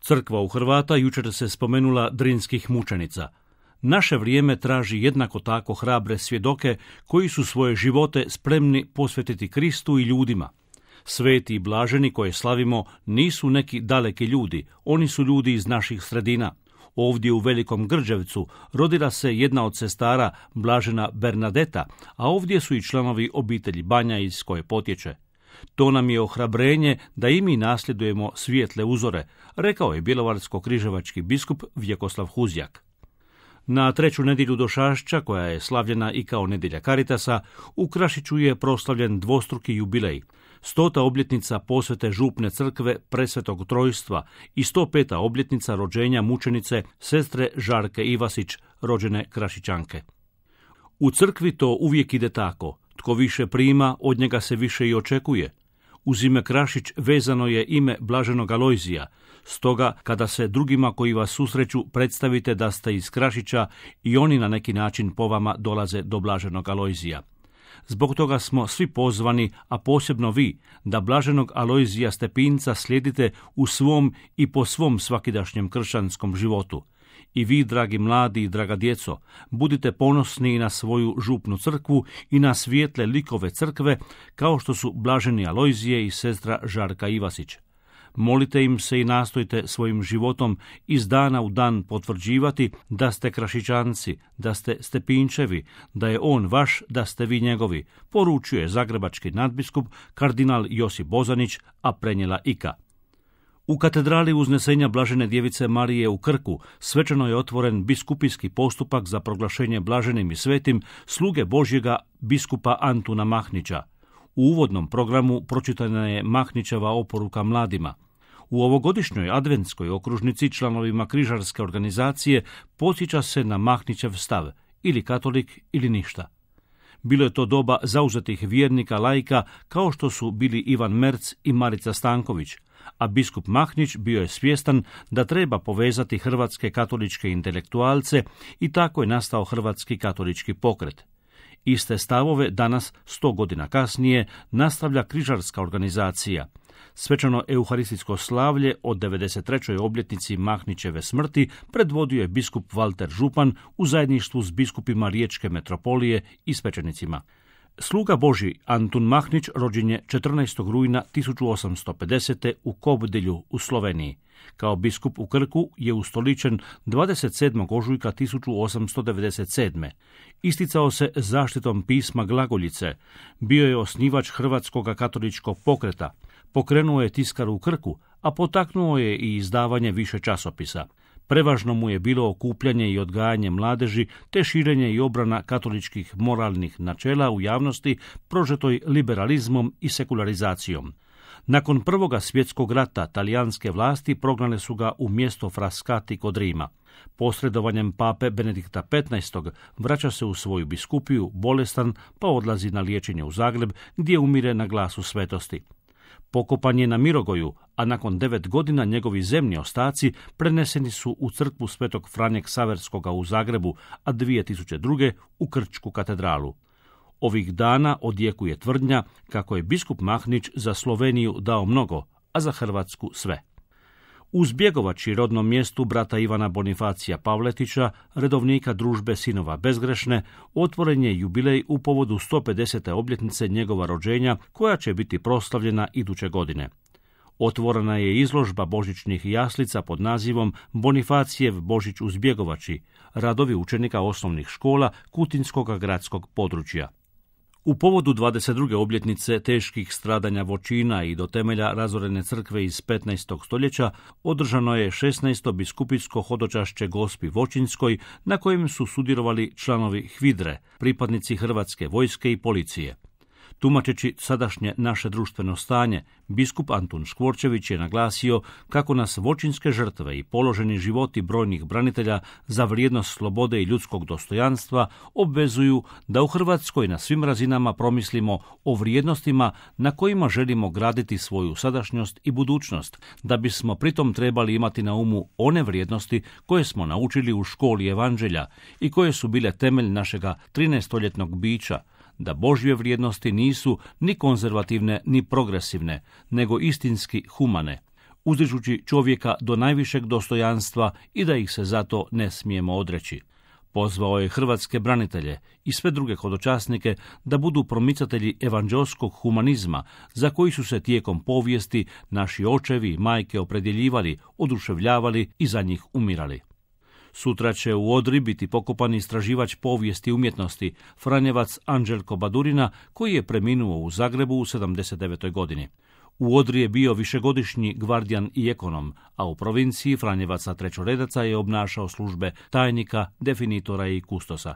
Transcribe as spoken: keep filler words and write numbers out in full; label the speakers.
Speaker 1: Crkva u Hrvata jučer se spomenula drinskih mučenica. Naše vrijeme traži jednako tako hrabre svjedoke koji su svoje živote spremni posvetiti Kristu i ljudima. Sveti i blaženi koje slavimo nisu neki daleki ljudi, oni su ljudi iz naših sredina. Ovdje u Velikom Grđevcu rodila se jedna od sestara, blažena Bernadeta, a ovdje su i članovi obitelji Banja iz koje potječe. To nam je ohrabrenje da i mi nasljedujemo svijetle uzore, rekao je bjelovarsko-križevački biskup Vjekoslav Huzjak. Na treću nedjelju Došašća, koja je slavljena i kao nedjelja Karitasa, u Krašiću je proslavljen dvostruki jubilej. Stota obljetnica posvete župne crkve Presvetog Trojstva i sto peta obljetnica rođenja mučenice sestre Žarke Ivasić, rođene Krašićanke. U crkvi to uvijek ide tako. Tko više prima, od njega se više i očekuje. Uz ime Krašić vezano je ime blaženog Alojzija, stoga kada se drugima koji vas susreću predstavite da ste iz Krašića i oni na neki način po vama dolaze do blaženog Alojzija. Zbog toga smo svi pozvani, a posebno vi, da blaženog Alojzija Stepinca slijedite u svom i po svom svakidašnjem kršćanskom životu. I vi, dragi mladi i draga djeco, budite ponosni na svoju župnu crkvu i na svijetle likove crkve, kao što su blaženi Alojzije i sestra Žarka Ivasić. Molite im se i nastojte svojim životom iz dana u dan potvrđivati da ste Krašićanci, da ste Stepinčevi, da je on vaš, da ste vi njegovi, poručuje zagrebački nadbiskup kardinal Josip Bozanić, a prenijela Ika. U katedrali Uznesenja Blažene djevice Marije u Krku svečano je otvoren biskupijski postupak za proglašenje blaženim i svetim sluge Božjega biskupa Antuna Mahnića. U uvodnom programu pročitana je Mahnićeva oporuka mladima. U ovogodišnjoj adventskoj okružnici članovima križarske organizacije podsjeća se na Mahnićev stav, ili katolik ili ništa. Bilo je to doba zauzetih vjernika laika kao što su bili Ivan Merc i Marica Stanković, a biskup Mahnić bio je svjestan da treba povezati hrvatske katoličke intelektualce i tako je nastao Hrvatski katolički pokret. Iste stavove danas, sto godina kasnije, nastavlja križarska organizacija. Svečano euharistijsko slavlje od devedeset trećoj obljetnici Mahnićeve smrti predvodio je biskup Valter Župan u zajedništvu s biskupima Riječke metropolije i svećenicima. Sluga Božji Antun Mahnić rođen je četrnaestog rujna tisuću osamsto pedesete u Kobdelju u Sloveniji. Kao biskup u Krku je ustoličen dvadeset sedmog ožujka tisuću osamsto devedeset sedme. Isticao se zaštitom pisma glagoljice, bio je osnivač Hrvatskog katoličkog pokreta, pokrenuo je tiskaru u Krku, a potaknuo je i izdavanje više časopisa. Prevažno mu je bilo okupljanje i odgajanje mladeži, te širenje i obrana katoličkih moralnih načela u javnosti prožetoj liberalizmom i sekularizacijom. Nakon Prvoga svjetskog rata talijanske vlasti prognale su ga u mjesto Frascati kod Rima. Posredovanjem pape Benedikta petnaestog vraća se u svoju biskupiju, bolestan, pa odlazi na liječenje u Zagreb, gdje umire na glasu svetosti. Pokopan je na Mirogoju, a nakon devet godina njegovi zemni ostaci preneseni su u crkvu Svetog Franje Ksaverskoga u Zagrebu, a dvije tisuće druge u Krčku katedralu. Ovih dana odjekuje tvrdnja kako je biskup Mahnić za Sloveniju dao mnogo, a za Hrvatsku sve. U Zbjegovači, rodnom mjestu brata Ivana Bonifacija Pavletića, redovnika družbe Sinova Bezgrešne, otvoren je jubilej u povodu sto pedesete obljetnice njegova rođenja, koja će biti proslavljena iduće godine. Otvorena je izložba božićnih jaslica pod nazivom Bonifacijev Božić u Zbjegovači, radovi učenika osnovnih škola Kutinskog gradskog područja. U povodu dvadeset druge obljetnice teških stradanja Voćina i do temelja razorene crkve iz petnaestog stoljeća održano je šesnaesto biskupijsko hodočašće Gospi Voćinskoj, na kojem su sudjelovali članovi Hvidre, pripadnici Hrvatske vojske i policije. Tumačeći sadašnje naše društveno stanje, biskup Antun Škvorčević je naglasio kako nas voćinske žrtve i položeni životi brojnih branitelja za vrijednost slobode i ljudskog dostojanstva obvezuju da u Hrvatskoj na svim razinama promislimo o vrijednostima na kojima želimo graditi svoju sadašnjost i budućnost, da bismo pritom trebali imati na umu one vrijednosti koje smo naučili u školi evanđelja i koje su bile temelj našega trinaestoljetnog bića, da Božje vrijednosti nisu ni konzervativne ni progresivne, nego istinski humane. uzdižući čovjeka do najvišeg dostojanstva i da ih se zato ne smijemo odreći. Pozvao je hrvatske branitelje i sve druge hodočasnike da budu promicatelji evanđelskog humanizma za koji su se tijekom povijesti naši očevi i majke opredjeljivali, oduševljavali i za njih umirali. Sutra će u Odri biti pokopan istraživač povijesti umjetnosti, franjevac Anđelko Badurina, koji je preminuo u Zagrebu u sedamdeset devetoj godini. U Odri je bio višegodišnji gvardijan i ekonom, a u provinciji franjevaca trećoredaca je obnašao službe tajnika, definitora i kustosa.